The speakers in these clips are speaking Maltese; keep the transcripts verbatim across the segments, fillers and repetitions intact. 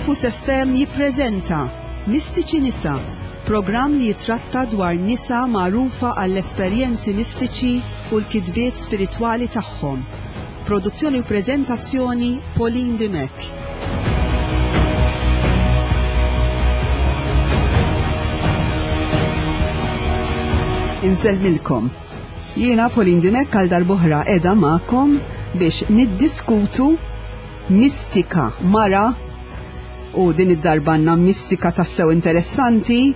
Campus F M jippreżenta Mistiċi Nisa, programm li jitratta dwar nisa magħrufa għall-esperjenzi mistiċi u l-kitbiet spiritwali tagħhom. Produzzjoni u preżentazzjoni, Pauline Dimech. Insellmilkom. Jiena Pauline Dimech, għal darb'oħra qiegħda magħkom biex niddiskutu mistika mara, u din id-darba għandna mistika tassew interessanti.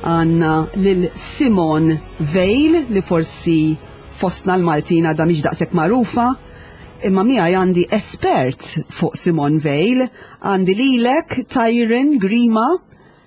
Għandna lil Simone Weil, li forsi fostna l-Maltin għadha mhix daqshekk magħrufa, imma miegħi għandi espert fuq Simone Weil, għandi lilek, Tyron Grima,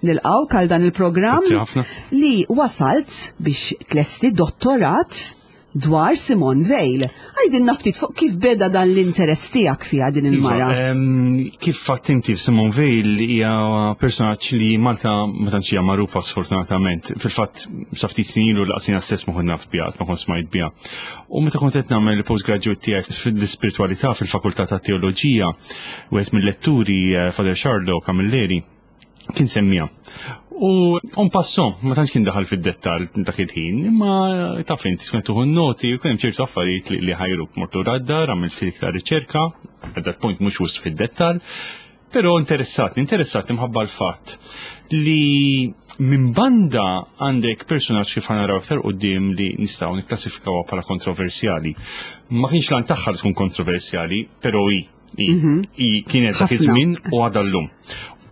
nilqgħuk għal dan il-programm, Grazzi ħafna. li wasalt biex tlesti dottorat dwar Simone Weil. Għidilna ftit fuq kif beda dan l-interess tiegħek fiha din il-mara. Iva, em, kif fatt inti, Simone Weil hija personaġġ li Malta ma tantx hija magħrufa, sfortunatament. Fil-fatt sa ftit snin ilu lanqas jiena stess ma kont naf biha, ma kont smajt biha. U meta kont qed nagħmel il-postgraduate tiegħek fil-ispiritualità fil-fakultà ta' teoloġija, wieħed mill-letturi, eh, Father Charlo Camilleri, kien semmija. U en passant, ma tantx kien daħal fid-dettal dak il-ħin, imma taf inti skont tieħu noti, u kien hemm ċertu affarijiet li, li ħajruk mortu raddar, għamilt ftit iktar riċerka, at that point mhux wisq fid-dettal, però interessat, interessat imħabba l-fatt li minn banda għandek personaġġ, kif naraw aktar quddiem, li nistgħu nikklassifikawha bħala kontroversjali. Ma kienx l-għan tagħha li tkun kontroversjali, però hi hi hi kienet dak Ħafna. iż-żmien u għadha llum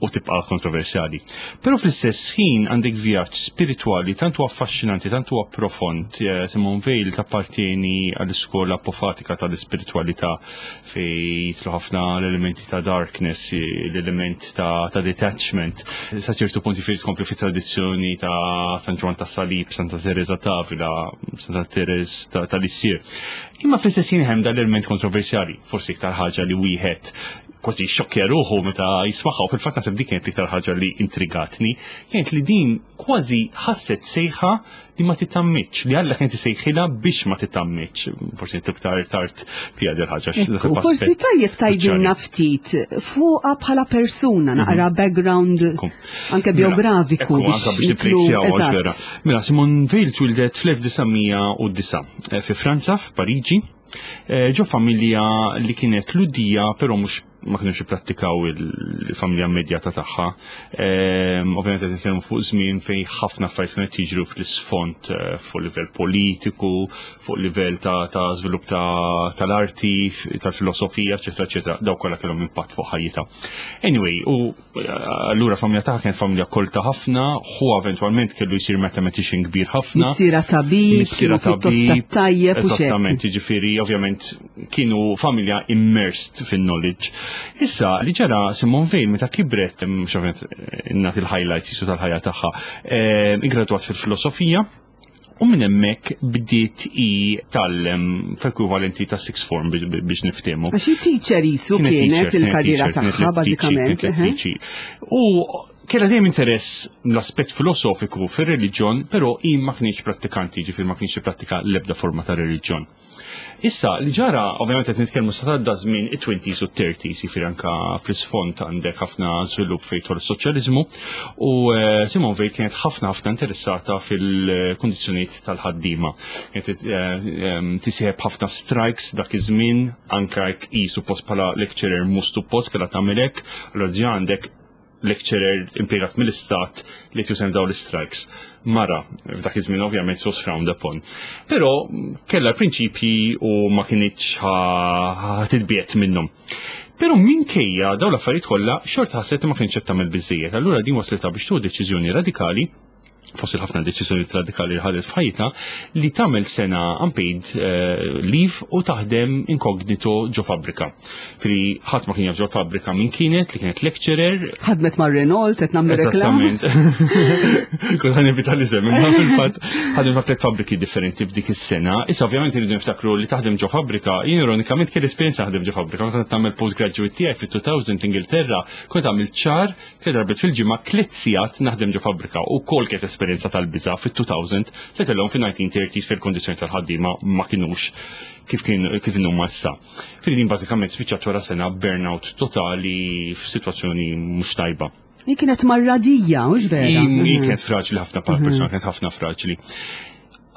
u tibqa' kontroversjali. Però fl-istess ħin għandek vjaġġ spiritwali tant huwa affaxxinanti, tant huwa profond. Eh, Simone Weil tappartieni għall-iskola apofatika tal-ispiritualità, fej jidħlu ħafna l-elementi ta' darkness, l-element ta', ta detachment. Sa ċertu punti fejn tkompli fit tradizzjoni ta' San Ġwann ta' Salib, Santa Teresa ta' Avila, Santa Teresa ta', ta' Lisieux. Imma fl-istess ħin hemm dal-element kontroversjali, forsi iktar ħaġa li wieħed kważi xokkja ruħu meta jismagħha, u fil-fatt naħseb dik kienet iktar ħaġa li intrigatni, kienet li din kważi ħasset sejħa li ma titgħammidx, li Alla kien isejħilha biex ma titgħammidx. Forsi iktar tard fiha dil ħaġa. Ekku, forsi tajjeb tgħidilna ftit fuqha bħala persuna, naqra background Ekku. anke Mela, biografiku ekku, anka biex nidħlu- nipprezzaw eżatt. għax vera. Mela, Simone Weil twildet fl-elf disa' mija u disgħa eh, fi Franza, f'Pariġi, eh, ġo familja li kienet Lhudija, però mhux ma kienux jipprattikaw il-familja immedjata tagħha. Ehm, Ovvjament qed nitkellmu fuq żmien fejn ħafna affarijiet kienu qed jiġru fl-isfond, eh, fuq livell politiku, fuq livell ta' ta' żvilupp ta' tal-arti, tal-filosofija, eċetera, eċetera. Daw kollha kellhom impatt fuq ħajjitha. Anyway, u eh, allura familja tagħha kienet familja kolta ħafna, hu eventwalment kellu jsir mathematician kbir ħafna. Missiera tabib, Missiera kienu pjuttost tabib, tajjeb u xek. Eżattament, jiġifieri ovvjament kienu familja immersed fin-knowledge. Issa, li ġara Simone Weil meta kibret, mhux ovvjament nagħti il-highlights jisu tal-ħajja tagħha, eh, ingradwat fil-filosofija, u minn hemmhekk bdiet i tgħallem f'ekwivalenti ta' sixth form bi- bi- biex niftehmu. Għax teacher jisu kienet teacher, il-karriera teacher, kienet tagħha lettriċi, bażikament. kienet lettriċi. U kella dejjem interess l-aspett filosofiku fir-reliġjon, però hi ma kienx prattikanti, ġifieri ma kienx prattika l-ebda forma ta' reliġjon. Issa, li ġara, ovvjament qed nitkellmu sa tgħadda żmien it-twenties u thirties, jiġifieri anka fl-isfond għandek ħafna żvilupp fejn tidħol is-soċjaliżmu, u eh, Simone Weil kienet ħafna ħafna interessata fil-kundizzjonijiet tal-ħaddiema. Kienet eh, em, tisieħeb ħafna strikes dak iż-żmien, anka jekk hi suppost bħala lecturer mhux suppost kellha tagħmel hekk, allura ġa għandek lecturer impjegat mill-istat li tużem daw l-strikes. Mara, f'dak iż-żmien ovvjament was frowned upon. Però kellha prinċipji u ma kinitx ħa titbiegħed minnhom. Però minkejja daw l-affarijiet kollha, xorta ħasset li ma kienx qed tagħmel biżejjed. Allura din waslitha biex tieħu deċiżjoni radikali, fost il-ħafna deċiżjoni radikali li ħadet f'ħajjitha, li tagħmel sena unpaid eh, leave u taħdem inkognito ġo fabbrika. Fri ħadd ma kien jaf ġo fabbrika min kienet, li kienet lecturer. Ħadmet ma' Renault, qed nagħmlu reklam. Eżattament. Kont ħa nevita li semmi, ma fil-fatt ħadem ma' tliet fabbriki differenti f'dik is-sena. Issa ovvjament irridu niftakru li taħdem ġo fabbrika, jien ironikament kelli esperjenza ħadem ġo fabbrika, meta kont nagħmel postgraduate tiegħi fit-elfejn l-Ingilterra, kont għamilt xahar, tliet darbiet fil-ġimgħa, tliet sigħat naħdem ġo fabbrika u kol kienet l-esperjenza tal-biża fit-elfejn, let alone fin-nineteen thirties fil-kondizzjoni tal-ħaddiema ma kinux kif kien kif inhuma issa. Fil din bażikament spiċċat wara sena burnout totali, f'sitwazzjoni mhux tajba. Hi kienet marradija, mhux vera? Hi hi kienet fraġli ħafna bħala persuna, kienet ħafna fraġli.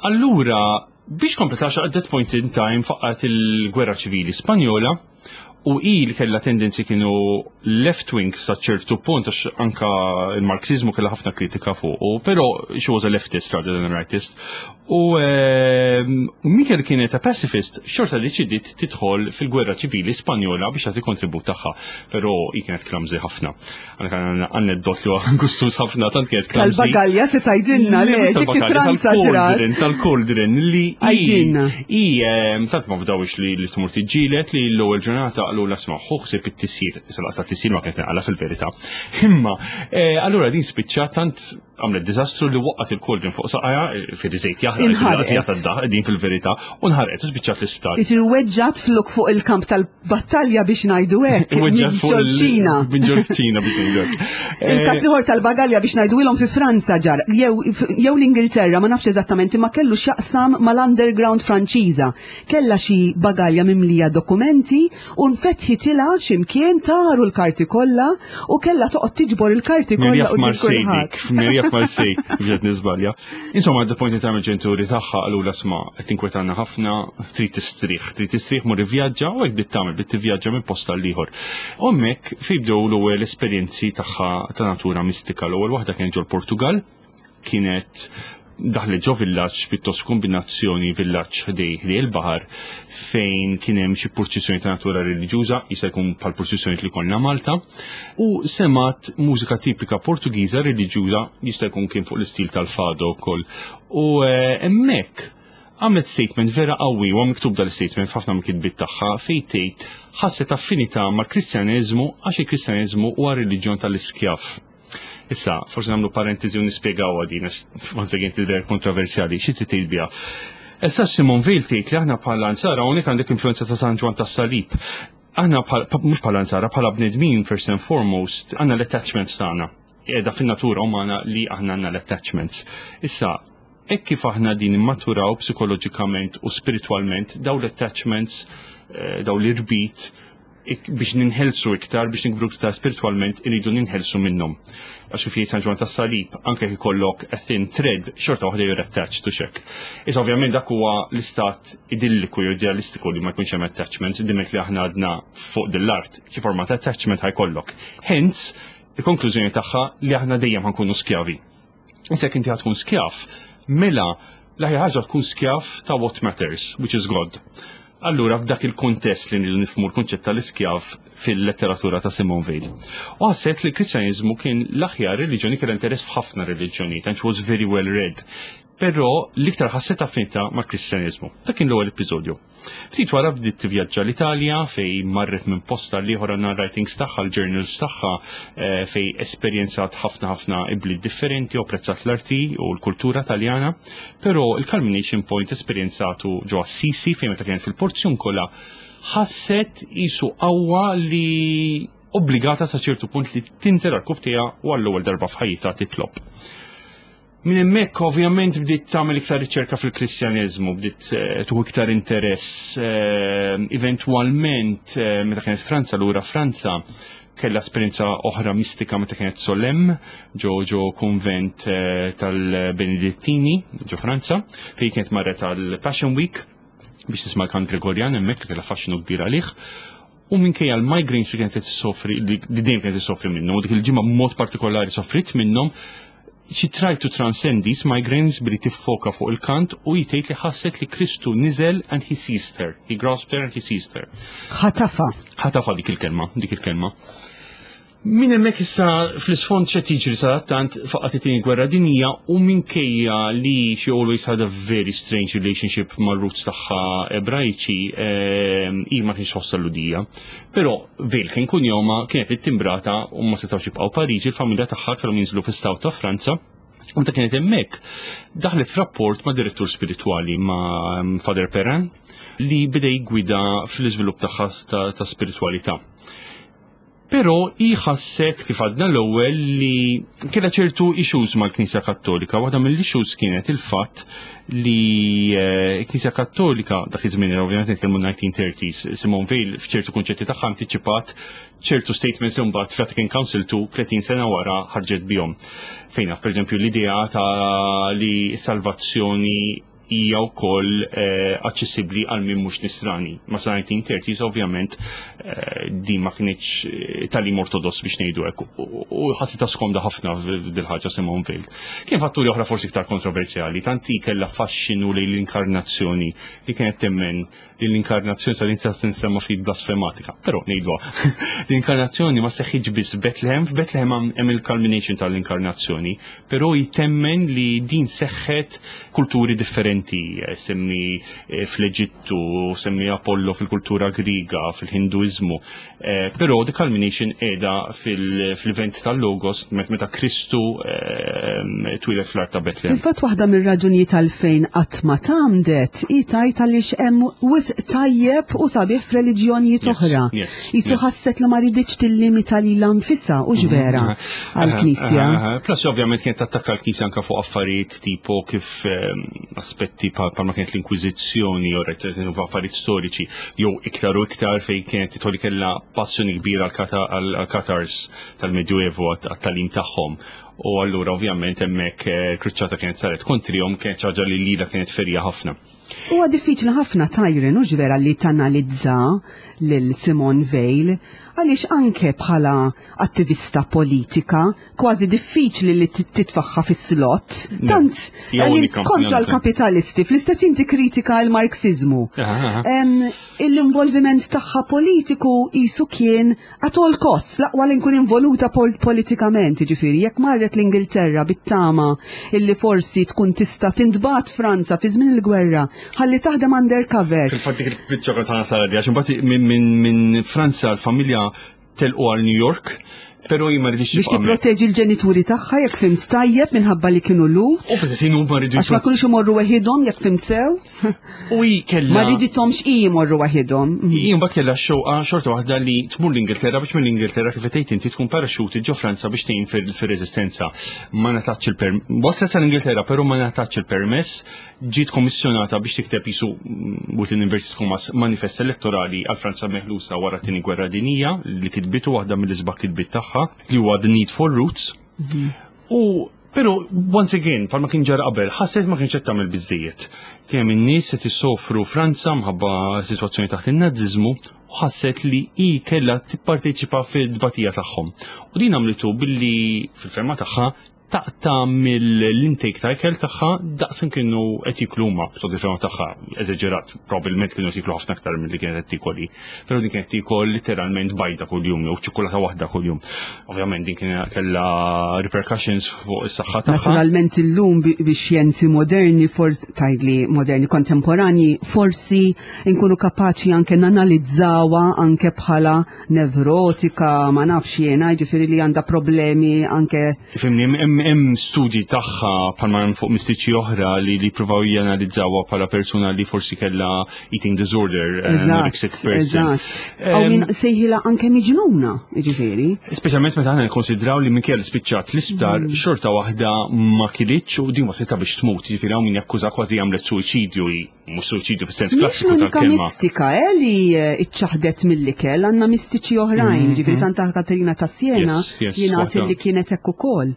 Allura, biex kompletax, at that point in time faqqat il-Gwerra Ċivili Spanjola u i li kella tendenzi kienu left wing sa ċertu punt, għax anka il-Marxizmu kella ħafna kritika fuq, però she was a leftist rather than a rightist. U ehm, Mikel kienet a pacifist, xorta deċidiet tidħol fil-Gwerra Ċivili Spanjola biex tagħti kontribut tagħha, però hi kienet clumsy ħafna. Għandek aneddotu li huwa gustus ħafna, tant kienet clumsy. Tal-bagalja se tgħidilna, le, dik fi Franza ġrat. Tal-cauldron li Għidilna. I ehm, tant ma fdawix li li tmur tiġġielet li l-ewwel ġurnata qalu isma', ħu ħsieb it-tisjir. Issa laqsa t-tisjir ma kienet naqala fil-verità. Imma eh, allura din spiċċa tant għamlet diżastru li waqqat il-cauldron fuq saqajha fil-żejt jaħraq. Inħarqet. Din fil-verità u nħarqet u spiċċat l-isptar. Jiġifieri weġġat flok fuq il-kamp tal-battalja, biex ngħidu hekk. Weġġat fuq il- Ġol-Ċina. Minn ġol-Ċina, biex ngħidu hekk. Il-kas l-ieħor tal-bagalja, biex ngħidu ilhom, fi Franza ġar, jew jew l-Ingilterra, ma nafx eżattament, imma kellu x'jaqsam mal-underground Franċiża. Kella xi bagalja mimlija dokumenti u nfetħitilha x'imkien, taru l-karti kollha u kellha toqgħod tiġbor il-karti kollha Mirja quddiem f'Marseille kulħadd. Dik, Mirja f'Marseille, biex nisbalja. Insomma, at the point in time il-ġenituri tagħha qalu isma', qed tinkwetanna ħafna, trid tistrieħ, trid tistrieħ, mur ivvjaġġa, u hekk bdiet tagħmel, bdiet tivvjaġġa minn post għal ieħor. U hemmhekk fejn bdew l-ewwel esperjenzi tagħha ta' natura mistika. L-ewwel waħda kienet ġol Portugal, kienet daħlet ġo villaġġ, pittost kombinazzjoni villaġġ ħdej ħdej il-baħar, fejn kien hemm xi purċissjoni ta' natura reliġjuża, jista' jkun bħal purċissjoni li konna Malta, u semgħet mużika tipika Portugiża reliġjuża, jista' jkun kien fuq l-istil tal-fado wkoll. U eh, hemmhekk għamlet statement vera qawwi, u miktub dal-statement f'ħafna mill-kitbiet tagħha, fejn tgħid ħasset affinità mal-Kristjaneżmu għax il-Kristjaneżmu huwa reliġjon tal-iskjav. Issa, forsi nagħmlu parentesi u nispjegaw din, għax once again tidher kontroversjali, xi trid tgħid biha. Issa Simone Weil tgħid li aħna bħala Nsara, hawnhekk għandek influenza ta' San Ġwann tas-Salib. Aħna bħal- mhux bħala Nsara, bħala bnedmin, first and foremost, għandna l-attachments tagħna. Qiegħda fin-natura umana li aħna għandna l-attachments. Issa, hekk kif aħna din immaturaw psikoloġikament u spiritualment, daw l-attachments, eh, daw l-irbit, ik- biex ninħelsu iktar, biex nikbru iktar spiritualment, irridu ninħelsu minnhom. Għax kif jgħid San Ġwann tas-Salib, anke jekk ikollok a thin thread, xorta waħda you're attached to xek. Issa ovvjament dak huwa l-istat idilliku jew idealistiku li ma jkunx hemm attachments, dimek li aħna għadna fuq dil-art, xi forma ta' attachment ħa jkollok. Hence, il-konklużjoni tagħha li aħna dejjem ħa nkunu skjavi. Issa jekk inti ħa tkun skjav, mela l-aħjar ħaġa tkun skjav ta' what matters, which is God. Allura f'dak il-kontest li nridu nifhmu l-konċett tal-iskjav fil-letteratura ta' Simone Weil. U ħasset li l-Kristjaniżmu kien l-aħjar reliġjoni, kellha interess f'ħafna reliġjonijiet, and she was very well read. Però l-iktar ħasset affinità mal-Kristjaniżmu. Dak kien l-ewwel episodju. Ftit wara bdiet tivvjaġġa l-Italja, fej marret minn posta l ieħor, għandna writings tagħha, l-journals tagħha, eh, fej esperjenzat ħafna ħafna ibliet differenti u apprezzat l-arti u l-kultura Taljana, però il-culmination point esperjenzatu ġo Assisi, fejn meta kienet fil-Porzjunkola ħasset isu qawwa li obbligata sa ċertu punt li tinżel għal u għall-ewwel darba f'ħajjitha titlob. Minn hemmhekk ovvjament bdiet tagħmel iktar riċerka fil-Kristjaneżmu, bdiet eh, tuħu iktar interess. eh, Eventwalment eh, meta kienet Franza, lura Franza, kellha esperjenza oħra mistika meta kienet Solesmes, ġo ġo konvent eh, tal-Benedittini ġo Franza, fejn kienet marret għal Passion Week biex tisma' l-kant Gregorjan hemmhekk li kellha faxxinu kbir għalih. U minkejja l-migraines li kienet tissofri, li li dejjem kienet tissofri minnhom, u dik il-ġimgħa b'mod partikolari soffrit minnhom, she tried to transcend these migraines billi tiffoka fuq il-kant u jtejt li ħasset li Kristu niżel and he seized her. He grasped her and he seized her. Ħatafa. Ħatafa, dik il-kelma, dik il-kelma. Min hemmhekk issa fl-isfond x'qed jiġri? Sadattant faqqat it-Tieni Gwerra Dinjija u minkejja li she always had a very strange relationship mar-roots tagħha Ebrajċi, ehm, hi ma kienx ħossa Lhudija. Però Weil kien kunjoma, kienet ittimbrata u ma setgħux jibqgħu Pariġi, il-familja tagħha kellhom jinżlu fis-South ta' Franza. U meta kienet hemmhekk, daħlet f'rapport ma' direttur spiritwali, ma' Father Perrin, li beda jgwida fl-iżvilupp tagħha ta', ta' spiritualità. Però hi ħasset, kif għadna l-ewwel, li kellha ċertu issues mal-Knisja Kattolika. Waħda mill-issues kienet il-fatt li eh, Knisja Kattolika, dak iż-żmien, ovvjament nitkellmu nineteen thirties, Simone Weil f'ċertu kunċetti tagħha antiċipat ċertu statements li mbagħad Vatican Council two tletin sena wara ħarġet bihom. Fejna, per eżempju, l-idea ta' li salvazzjoni hija wkoll eh, aċċessibbli għal min mhux nisrani. Ma sa nineteen thirties ovvjament eh, din ma kienx eh, tagħlim ortodoss, biex ngħidu hekk. U ħassitha skomda ħafna f'dil-ħaġa Simone Weil. Kien fatturi oħra forsi iktar kontroversjali, tanti kellha faxxinu lejn l-inkarnazzjoni li kienet temmen li l-inkarnazzjoni sa din tinstema' ftit blasfematika, però ngħidwa. L-inkarnazzjoni ma seħħitx biss Bethlehem, f'Bethlehem hemm il-culmination tal-inkarnazzjoni, però jtemmen li din seħħet kulturi differenti, eh, semmi eh, fl-Eġittu, semmi Apollo fil-kultura Griega, fil-Hinduizmu, eh, però the culmination qiegħda fil-event tal-Logos meta Kristu twieled fl-art ta' Bethlehem. Fil-fatt, waħda mir-raġunijiet għalfejn qatt ma tgħammdet hi tgħid għaliex hemm wisq tajjeb u sabiħ f'reliġjonijiet oħra. Jisu ħasset li ma riditx tillimita lilha nfisha u vera mhm. għall-Knisja. Plus ovvjament kienet attakka l-Knisja anka fuq affarijiet tipo kif ehm, aspetti ma kienet l-Inkwiżizzjoni jew affarijiet storiċi jew iktar u iktar fejn kienet titoli kellha passjoni kbira għal-Cathars tal-Medjuevu, għat-tagħlim tagħhom, u allura ovvjament hemmhekk eh, kruċċata kienet saret kontrihom, kienet ħaġa li lila kienet ferja ħafna. Huwa diffiċli ħafna tajren u vera li tanalizza lil Simone Weil, għaliex anke bħala attivista politika kważi diffiċli li titfaħħa fis-slot. Tant kontra l-kapitalisti, fl-istess inti kritika l-Marxizmu. L-involviment tagħha politiku jisu kien at all costs, l-aqwa li nkun involuta pol politikament, ġifieri, jekk marret l-Ingilterra bit-tama illi forsi tkun tista' tintbagħat Franza fi żmien il-gwerra ħalli taħdem undercover. Fil-fatt dik il-biċċa ta' sara għax imbagħad minn min Franza l-familja telqu għal New York, pero hi ma ridix Biex tipproteġi l-ġenituri tagħha, jekk fhimt tajjeb, minħabba li kienu Lhud. U fil ma rridu Għax ma kinux imorru weħidhom, jekk fhimt sew. U hi kellha Ma ridithomx i jmorru weħidhom. Hi mbagħad kellha xewqa xorta waħda li tmur l-Ingilterra biex mill-Ingilterra, kif tgħid inti, tkun paraxuti ġo Franza biex tgħin fir-reżistenza. Ma ngħatatx il-permess. Waslet sal-Ingilterra, però ma ngħatatx il-permess, ġiet kommissjonata biex tikteb jisu, within inverted commas, manifest elettorali għal Franza meħlusa wara t-Tieni Gwerra Dinija, li kitbitu, waħda mill-isbaħ kitbit tagħha, li huwa The Need for Roots. U pero once again, palma kien ġara qabel, ħasset ma kienx qed tagħmel biżejjed. Kien hemm in-nies qed isofru Franza mħabba sitwazzjoni taħt in-Naziżmu u ħasset li hi kellha tipparteċipa fid-dbatija tagħhom. U din għamlitu billi fil-ferma tagħha taqta' mill-intake ta' ikel tagħha daqs kienu qed jiklu huma, so fil tagħha eżaġerat, probabbilment kienu qed jiklu ħafna aktar milli kienet qed tikol hi. Però din kienet tikol literalment bajda kuljum jew ċokolata waħda kuljum. Ovvjament din kien kellha repercussions fuq is-saħħa tagħha. Naturalment illum bi bi xjenzi moderni, forsi tgħidli moderni, kontemporanji, forsi nkunu kapaċi anke nanalizzawa anke bħala nevrotika, ma nafx jiena, ġifieri li għandha problemi anke. Fhimni, hemm hemm studji tagħha bħalma hemm fuq mistiċi oħra li li provaw janalizzawha bħala persuna li forsi kellha eating disorder, eh, anorexic Eżatt, person. eżatt. Aw min sejħila anke miġnuna, ġifieri. Speċjalment meta aħna nikkonsidraw li minkejja li spiċċat l-isptar, xorta waħda ma kilitx u din waslitha biex tmut, jiġifieri hawn min jakkuża kważi għamlet suwiċidju, hi mhux suwiċidju fis-sens Mhix klassiku l-unika tal-kelma. mistika eh, li eh, iċċaħdet mill-ikel, għandna mistiċi oħrajn, ġifieri Santa Katerina ta' Siena, Yes, yes, jingħad waħda. li kienet hekk ukoll.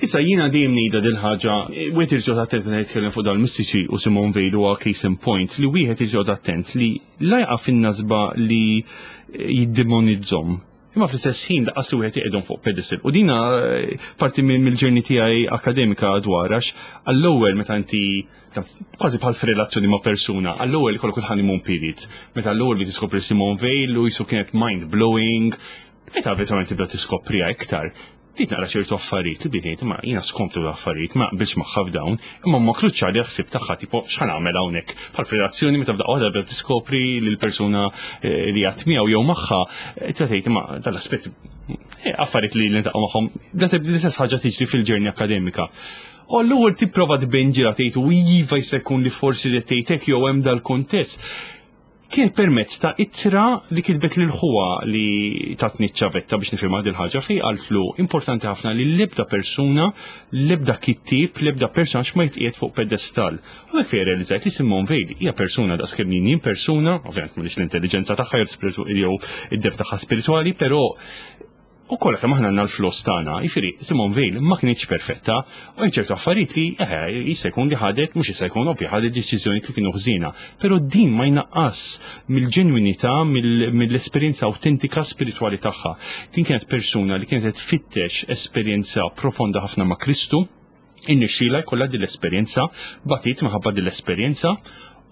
Issa jiena dejjem ngħidha dil-ħaġa, wieħed irid joqgħod attent meta jitkellem fuq dal-mistiċi, u Simone Weil huwa case in point li wieħed irid joqgħod attent li la jaqa' fin-nasba li jiddemonizzhom. Imma fl-istess ħin lanqas li wieħed iqegħdhom fuq pedestal. U dina eh, parti minn mill-journey tiegħi akademika dwar, għax għall-ewwel meta inti ta' kważi bħal f'relazzjoni ma' persuna, għall-ewwel ikollok il-honeymoon period. Meta l-ewwel li tiskopri Simone Weil u jisu kienet mind blowing, meta eventualment tibda tiskopriha iktar, bdiet naqra ċertu affarijiet li bdiet ngħid ma jiena skomptu l-affarijiet ma qbilx magħha f'dawn, imma ma kruċjali ħsib tagħha, tipo x'ħa nagħmel hawnhekk. Bħal f'relazzjoni meta f'daqqa waħda bda tiskopri lil persuna eh, li għat miegħu jew magħha, eh, tibda tgħid imma dal-aspett, eh, affarijiet li niltaqgħu magħhom, l-istess ħaġa tiġri fil-journey akademika. U l-ewwel tipprova tbenġila, tgħid u iva jista' jkun li forsi li tgħid hekk jew hemm dal-kuntest. Kien permezz ta' ittra li kitbet lil ħuha li tatni ċavetta biex nifhimha dil ħaġa, fejn qaltlu importanti ħafna li l-ebda persuna, l-ebda kittib, l-ebda personaġġ ma jitqiegħed fuq pedestal. U hekk fejn realizzajt li Simone Weil hija persuna daqs kemm jien persuna, ovvjament m'għandix l-intelligenza tagħha jew id-depth tagħha spiritwali, però u kollha kemm aħna għandna l-flaws tagħna, jiġifieri Simone Weil ma kinitx perfetta, u hemm ċertu affarijiet li eħe jista' jkun li ħadet, mhux jista' jkun, ovvja, ħadet deċiżjoni li kienu ħżiena, però din ma jnaqqas mill-ġenwinità, mill-esperjenza awtentika spiritwali tagħha. Din kienet persuna li kienet tfittex esperjenza profonda ħafna ma' Kristu, irnexxielha jkollha din l-esperjenza, batit minħabba din l-esperjenza,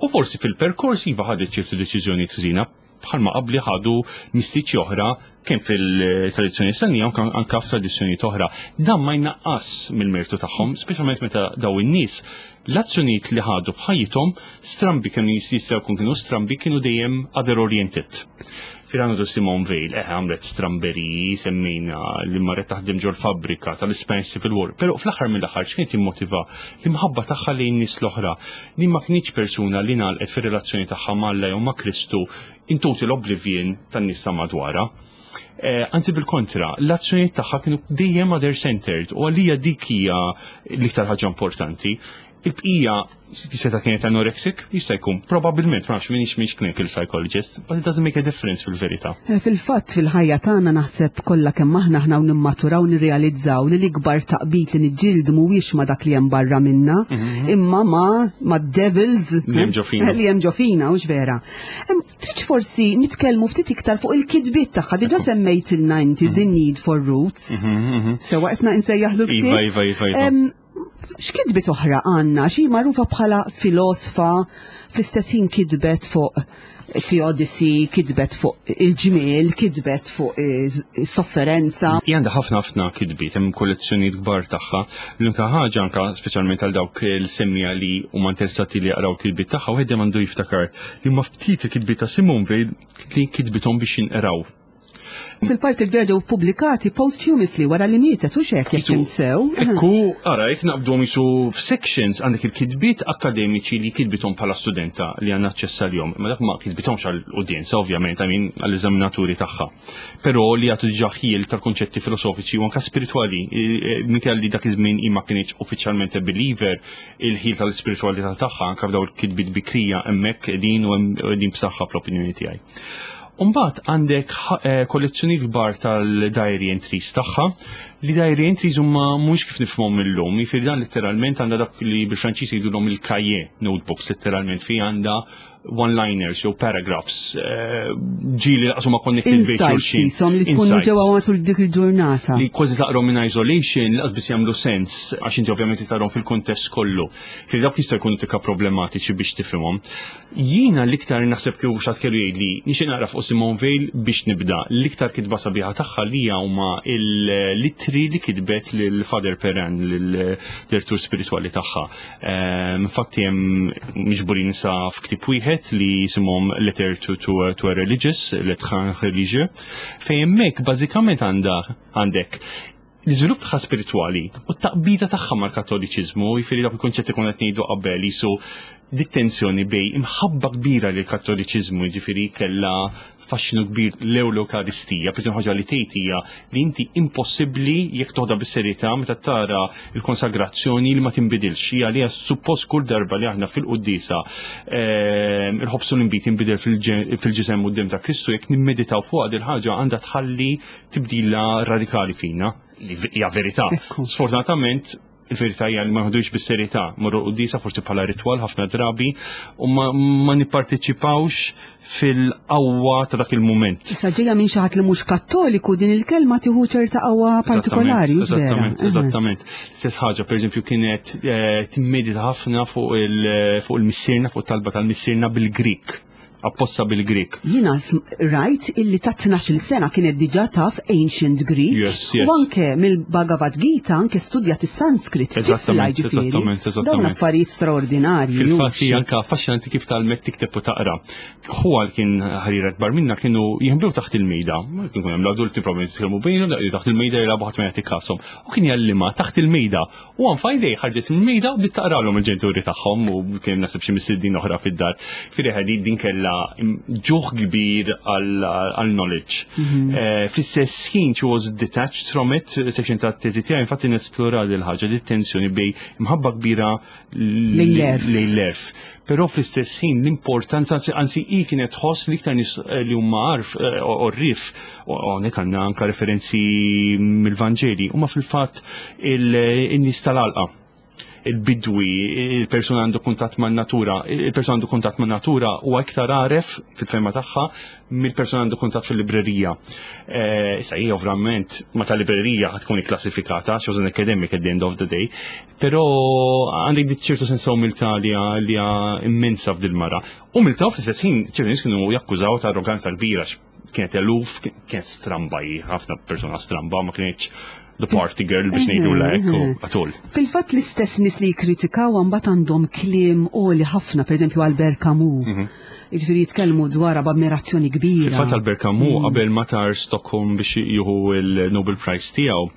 u forsi fil-perkors iva ħadet ċertu deċiżjoni ħżina bħalma qabli ħadu mistiċi oħra kemm fil-tradizzjoni Nisranija u anka f'tradizzjoni oħra. Dan ma jnaqqas mill-mertu tagħhom, speċjalment meta daw in-nies l-azzjonijiet li ħadu f'ħajjithom, strambi kienu jistgħu jkun kienu strambi, kienu dejjem other oriented. Filgħanu Simone Weil, eħe, għamlet stramberiji, semmejna li marret taħdem ġol fabbrika tal-Spanish Civil War, pero fl-aħħar mill-aħħar x'kienet immotiva? L-imħabba tagħha lejn nies l-oħra. Din ma kienx persuna li ngħalqet fir-relazzjoni tagħha m'Alla jew ma' Kristu in total oblivion tan-nies ta' madwarha. Eh, anzi bil-kontra, l-azzjonijiet tagħha kienu dejjem other-centered u għalija dik hija l-iktar ħaġa importanti. Il-bqija, seta kienet anorexic, jista' jkun, probabbilment, ma nafx, minix minix clinical psychologist, but it doesn't make a difference fil-verità. Eh, Fil-fatt fil-ħajja tagħna naħseb kollha kemm aħna aħna u nimmaturaw nirrealizzaw li l-ikbar taqbid li niġġieldu mhuwiex ma dak li hemm barra minna, imma ma ma devils Li hemm ġo fina. Li hemm ġo fina, hux vera? Em, Tridx forsi nitkellmu ftit iktar fuq il-kitbiet tagħha, diġà semmejtilna inti The Need for Roots. Sewwa qed insejjaħlu l-ktieb? Iva, iva, iva, iva. Em, X'kitbit oħra għandna? Xi magħrufa bħala filosfa, fl-istess ħin kitbet fuq Theodicy, kitbet fuq il-ġmiel, kitbet fuq is-sofferenza. Hija għandha ħafna ħafna kitbiet, hemm kollezzjonijiet kbar tagħha. L-unika ħaġa, anka speċjalment għal dawk il-semmija li huma interessati li jaqraw kitbiet tagħha, wieħed għandu jiftakar li ma ftit il-kitbiet ta' Simone Weil li kitbithom biex jinqraw. Fil-parti kbira ġew pubblikati posthumously, wara li mietet, u xek jekk sew. Ekku, ara, jek naqbdu jisu f'sections, għandek il-kitbiet akademiċi li kitbithom bħala studenta li għandna aċċess għalihom. Ma dak ma kitbithomx għall-udjenza, ovvjament, għamin għall-eżaminaturi tagħha. Però li għatu diġà ħjiel tal-konċetti filosofiċi u anka spiritwali, minkejja li dak iż-żmien ma kienx uffiċjalment a believer, il-ħil tal-spiritualità tagħha anka f'daw il-kitbiet bikrija hemmhekk qegħdin u qegħdin b'saħħa fl-opinjoni tiegħi. Umbagħad għandek eh, kollezzjoni kbar tal-diary entries tagħha, li diary entries huma mhux kif nifhmhom illum, jiġifieri dan letteralment għandha dak li bil-Franċiż jgħidulhom il-cahier, notebooks letteralment, fi għandha one-liners jew paragraphs, eh, ġieli lanqas huma connected bejn Insights xulxin. jisom li tkunu Insights. ġewwa matul dik il-ġurnata. Li kważi taqrom in isolation, lanqas biss jagħmlu sens, għax inti ovvjament tarahom fil-kontest kollu. Fil dawk jista' jkunu tika problematiċi biex tifhimhom. Jiena l-iktar naħseb kieku xi ħadd kellu jgħidli nixtieq naqra fuq Simone Weil biex nibda. L-iktar kitba sabiħa tagħha li huma l-ittri li kitbet lil Father Perrin, lil-direttur spiritwali tagħha. Ehm, Infatti hemm miġburin sa f'ktieb wieħed li jisimhom Letter to, to, to a Religious, Lettre à un Religieux, fejn hemmhekk bażikament għandha għandek l-iżvilupp tagħha spiritwali u t-taqbida tagħha mal-Kattoliċiżmu, jiġifieri dak il-konċetti konna qed ngħidu qabel, jisu dit-tensjoni bejn imħabba kbira lil kattoliċiżmu, jiġifieri kellha faxxinu kbir lejn l-Ewkaristija, per ħaġa li tgħid hija li inti impossibbli jekk toħda bis-serjetà meta tara il-konsagrazzjoni li ma tinbidilx. Hija li suppost kull darba li aħna fil-quddiesa ehm, il-ħobż u l-inbid jinbidel fil-ġisem u d-dem ta' Kristu, jekk nimmeditaw fuq il ħaġa għandha tħalli tibdila radikali fina, li hija verità. Ekku. Sfortunatament, il-verità hija li ma nħodux bis-serjetà, morru quddiesa forsi bħala ritwal ħafna drabi u ma, ma nipparteċipawx fil-qawwa ta' dak il-mument. Issa ġejja minn xi ħadd li mhux Kattoliku din il-kelma tieħu ċerta qawwa partikolari, hux vera? Eżattament, eżattament. Stess ħaġa, per eżempju, kienet eh, timmedita ħafna fuq il- fuq il-missierna, fuq talba tal-missierna bil-Grik, apposta bil-Grik. Jina rajt illi ta' tnax-il sena kienet diġà taf Ancient Greek. Yes, yes. U anke mill-Bhagavad Gita anke studjat is-Sanskrit. Tifla, Eżattament, ġifieri. eżattament, eżattament. Dawn affarijiet straordinarji. Fil-fatt hux? hija anka affaxxinanti kif tgħallmet tikteb u taqra. Ħuha li kien ħarira kbar minna kienu jinħbew taħt il-mejda. Ma kien hemm l-adulti probabbilment jitkellmu bejnhom, taħt il-mejda jilagħbu, ħadd ma jagħti kashom. U kien jgħallimha taħt il-mejda. U għan f'idej ħarġet il-mejda u bdiet taqralhom il-ġenituri tagħhom u kien naħseb xi mistednin oħra fid-dar. Firri ħadi din kellha Kella ġuħ kbir għal knowledge. Mhm. Eh, fl-istess ħin she was detached from it, section ta' teżi tiegħi infatti nesplora dil ħaġa li tensjoni bejn imħabba kbira lejn l-għerf. Lejn l-għerf. Però fl-istess ħin l-importanza, anzi hi kienet tħoss li iktar nies eh, li huma għarf eh, għorrief, u hawnhekk għandna anka referenzi mill-Vanġeli, huma fil-fatt il-nies tal-għalqa, il-bidwi, il-persuna għandu kuntatt man natura, il-persuna għandu kuntatt man natura u iktar għaref fil-fehma tagħha mill-persuna għandu kuntatt fil-librerija. Eh, Issa hija ovvjament ma tal-librerija ħa tkun ikklassifikata, she was an academic at the end of the day, però għandek dik ċertu sens ta' umiltà li hija li hija immensa f'dil-mara. Umiltà u fl-istess ħin ċertu nies kienu jakkużaw ta' arroganza kbira, kienet eluf, kienet stramba hi, ħafna persona stramba, ma kienx the party girl biex ngħidu lek u għatul. Fil-fatt l-istess nies li jikkritikaw mbagħad għandhom kliem għoli ħafna, pereżempju Albert Camus. Mhm. Jiġifieri jitkellmu dwar b'ammirazzjoni kbira. Fil-fatt Albert Camus qabel ma tar Stockholm biex jieħu il-Nobel Prize tiegħu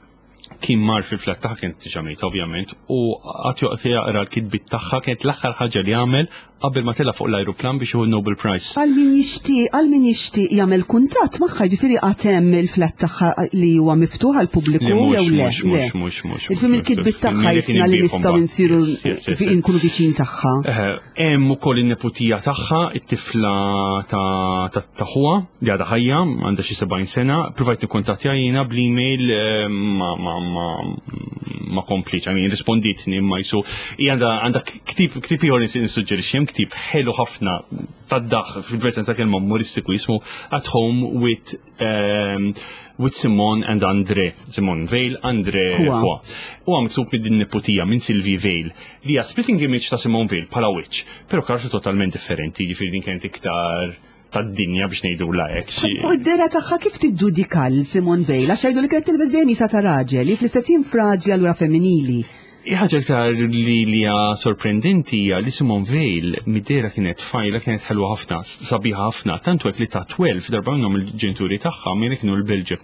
kien mar fil-flat tagħha, kien diġà mejta ovvjament, u qagħad joqgħod jaqra l-kitbiet tagħha, kienet l-aħħar ħaġa li għamel qabel ma tela fuq l-ajruplan biex jieħu Nobel Prize. Għal min jixtieq, għal min jixtieq jagħmel kuntatt magħha, ġifieri għad hemm il-flat tagħha li huwa miftuħ għall-pubbliku Le, mhux, jew le? mhux, Le. mhux, mhux, mhux, Il-film mhux, il-kitbiet mhux. tagħha Kien jisna li ibihom nistgħu mbagħad. nsiru Yes, yes, yes, yes. nkunu viċin tagħha. Eh, Hemm ukoll in-neputija tagħha, it-tifla ta' ta' ta' ħuha li għadha ħajja, għandha xi sebgħin sena, provajt nikkuntattja jiena bl-email eh, ma ma ma ma komplitx, I mean, risponditni imma jisu hija għandha għandha ktib ktib ieħor nissuġġerixxi, hemm ktib ħelu ħafna tad-daħk fil-versjon ta' kelma umoristiku jismu At Home with um, with Simone and André. Simone Veil, André Huwa. Huwa. Huwa miktub minn din neputija minn Sylvie Veil li hija splitting image ta' Simone Veil bħala witch, però karattru totalment differenti, jiġifieri din kienet iktar tad-dinja biex ngħidu la hekk. xi- Fuq id-dehra tagħha kif tiġġudika lil Simone Veil, għax jgħidu li kienet tilbes dejjem qisha ta' raġel, li fl-istess ħin fraġli allura femminili. Ħaġa iktar li li hija sorprendenti hija li Simone Veil mid-dehra kienet tfajla, kienet ħelwa ħafna, sabiħa ħafna, tantu hekk li ta' tnax darba minnhom il-ġenituri tagħha minn kienu l-Belġju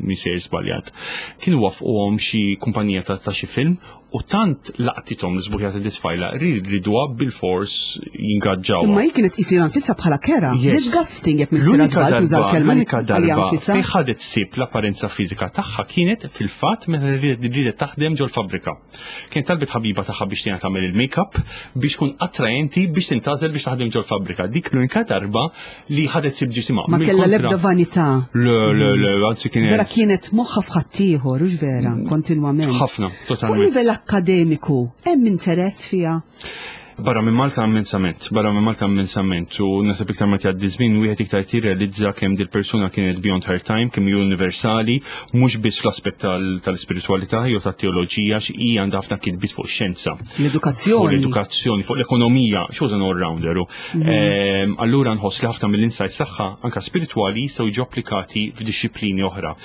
misejr żbaljat. Kienu wafquhom xi kumpanija ta' ta' xi film u tant laqtithom l-sbuħija ta' tfajla riduha bil-fors jingaġġawha. Imma hi kienet tqis lilha nfisha bħala kerha. Yes. Disgusting jekk missira L-unika żball tuża darba, l-kelma li l-unika għalija darba nfisha. fejn ħadet ħsieb l-apparenza fiżika tagħha kienet fil-fatt meta ridet ridet taħdem ġol fabbrika. Kien talbet ħabiba tagħha biex tgħinha tagħmel il-make-up biex tkun attraenti biex tintgħażel biex taħdem ġol fabbrika. Dik l-unika darba li ħadet ħsieb ġisimha. Ma kellha Mill-kontra- l-ebda vanità. Le, le, le, anzi kienet. Vera kienet moħħa f'ħaddieħor, hux vera, kontinwament. Ħafna, Fuq totalment. livell akkademiku, hemm interess fiha? Barra minn Malta immensament, barra minn Malta immensament, u naħseb iktar ma tgħaddi żmien wieħed iktar tirrealizza kemm dil persuna kienet beyond her time, kemm hi universali, mhux biss fl-aspett tal- tal-spiritualità jew tat-teoloġija, xi għandha ħafna kitbiet fuq xjenza. Fuq L-edukazzjoni. l-edukazzjoni, fuq l-ekonomija, she was an all-rounder. u, Ehm, Allura nħoss li ħafna mill-insights tagħha anka spiritwali jistgħu jiġu applikati f'dixxiplini oħra.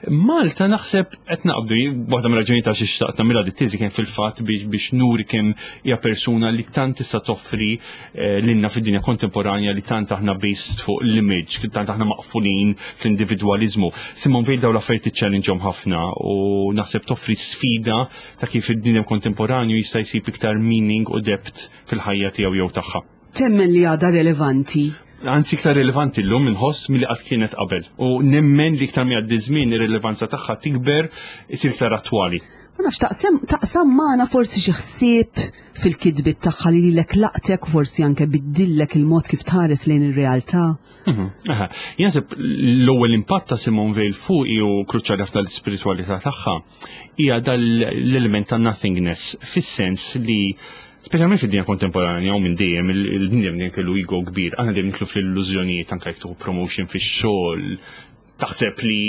Malta naħseb qed naqbdu, waħda mir-raġuni ta' xi xtaqt nagħmilha dit teżi kien fil-fatt biex biex nuri kemm hija persuna li tant tista' toffri eh, lilna fid-dinja kontemporanja li tant aħna based fuq l-image, tant aħna maqfulin fl-individwaliżmu. Simone Veil daw l-affarijiet tiċċellinġhom ħafna u naħseb toffri sfida ta' kif id-dinja kontemporanju jista' jsib iktar meaning u depth fil-ħajja tiegħu jew tagħha. Temmen li għadha relevanti? Anzi iktar relevanti llum inħoss milli qatt kienet qabel. U nemmen li iktar mi għaddi żmien ir-rilevanza tagħha tikber, isir iktar attwali. Ma nafx taqsam taqsam magħna forsi xi ħsieb fil-kitbiet tagħha li lilek laqtek u forsi anke biddillek il-mod kif tħares lejn ir-realtà. Mhm, aha. Jien naħseb l-ewwel impatt ta' Simone Veil fuqi u kruċjali ħafna l-ispiritualità tagħha hija dal-element ta' nothingness fis-sens li speċjalment fid-dinja kontemporanja u minn dejjem il-bniedem dejjem kellu ego kbir, aħna dejjem nidħlu fl-illużjonijiet anke jekk tieħu promotion fix-xogħol, taħseb li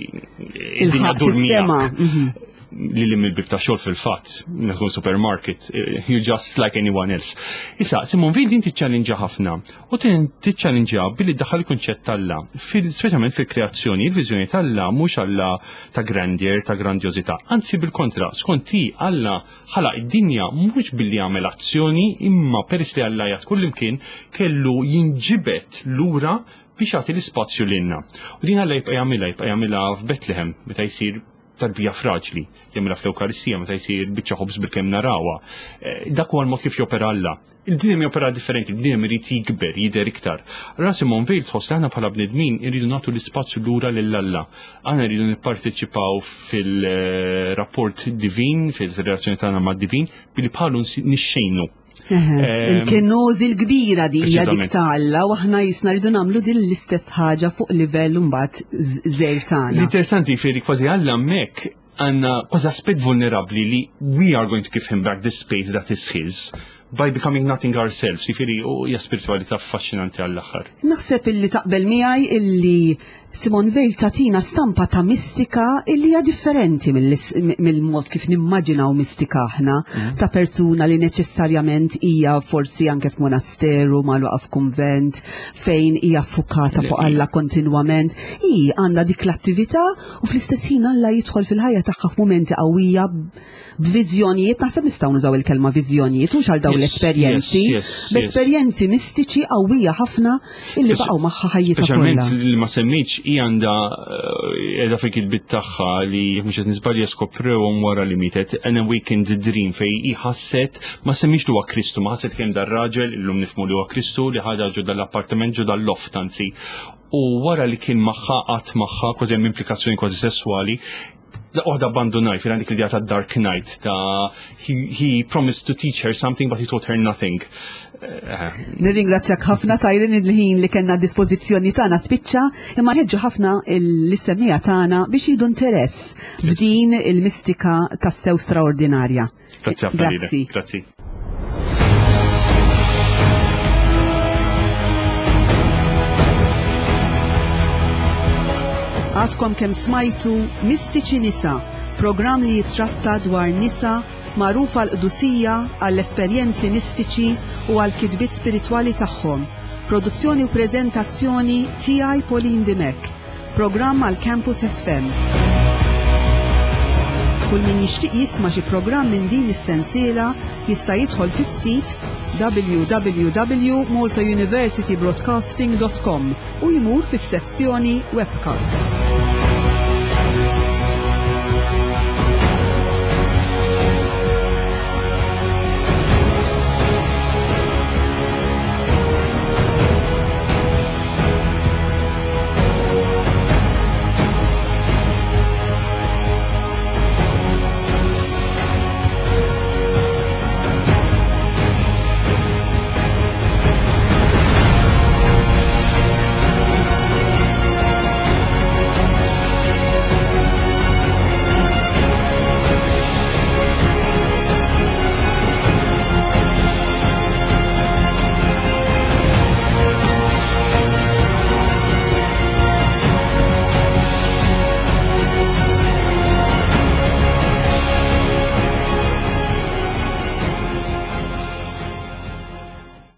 id-dinja Il-ħadd ddur is-sema. miegħek. mhm. Li li mill-bib ta' xogħol fil-fatt, meta tkun supermarket, eh, you're just like anyone else. Issa, Simone Veil din tiċċallinġa ħafna u tin tiċċallinġa billi daħal il-kunċett t'Alla, fil- speċjalment fil-kreazzjoni, il-viżjoni t'Alla mhux Alla ta' grandeur, ta' grandjożità, anzi bil-kontra, skont hi Alla ħalaq id-dinja mhux billi għamel azzjoni, imma peress li Alla jgħid kullimkien kellu jinġibet lura biex jagħti l-ispazju lilna. U din Alla jibqa' jagħmilha, jibqa' jagħmilha f'Bethlehem meta jsir tarbija fraġli, jagħmilha fl-Ewkaristija meta jsir biċċa ħobż bil-kemm narawha. Eh, dak huwa l-mod kif jopera Alla. Il-bniedem jopera differenti, il-bniedem irid jikber, jidher iktar. Allura Simone Weil tħoss li aħna bħala bnedmin irridu nagħtu l-ispazju lura lil Alla. Aħna rridu nipparteċipaw fil-rapport divin, fil-relazzjoni tagħna mad-divin, billi bħalu nixxejnu. Il-kenożi l-kbira di hija dik ta' Alla u aħna jisna rridu nagħmlu din l-istess ħaġa fuq livell mbagħad żgħir tagħna. L-interessanti fieri kważi Alla hemmhekk għandna kważi aspett vulnerabbli li we are going to give him back the space that is his by becoming nothing ourselves. Jifieri, u hija spiritualità affaxxinanti għall-aħħar. Naħseb illi taqbel miegħi illi Simone Weil tatina stampa ta' mistika illi hija differenti mill-mod kif nimmaġinaw mistika aħna, mhm. ta' persuna li neċessarjament hija forsi anke f'monasteru, magħluqa f'kunvent, fejn hija fukata fuq Alla kontinwament. Hi għandha dik l-attività u fl-istess ħin Alla jidħol fil-ħajja tagħha f'mumenti qawwija b'viżjonijiet, naħseb nistgħu nużaw il-kelma viżjonijiet, mhux għal dawn l-esperjenzi, b'esperjenzi mistiċi qawwija ħafna illi baqgħu magħha ħajjitha kollha. Li ma semmejtx hi għandha qiegħda fil-kitbiet tagħha li mhux qed niżbalja skoprewhom wara li mietet, an awakened dream fej hi ħasset, ma semmix li huwa Kristu, ma ħasset kemm dar-raġel, illum nifhmu li huwa Kristu, li ħadha ġo dal-appartament, ġo dal-loft anzi. U wara li kien magħha, qatt magħha, kważi hemm implikazzjoni kważi sessuali, waħda abbandonaj, fil għandik l-idea ta' Dark Knight, ta' he, he promised to teach her something but he taught her nothing. Eh, Nirringrazzjak ħafna tajrin, il-ħin li kellna dispożizzjoni tagħna spiċċa, imma nħeġġu ħafna l-semmiegħa tagħna biex jieħdu interess f'din il-mistika tassew straordinarja. Grazzi ħafna. Grazzi. Grazzi. Għadkom kemm smajtu Mistiċi Nisa, programm li jitratta dwar nisa magħrufa għall-qdusija, għall-esperjenzi mistiċi u għall-kitbiet spiritwali tagħhom. Produzzjoni u preżentazzjoni tiegħi, Pauline Dimech. Programm għal Campus F M. Kull min jixtieq jisma' xi programm minn din is-sensiela jista' jidħol fis-sit w w w punt maltauniversitybroadcasting punt com u jmur fis-sezzjoni webcasts.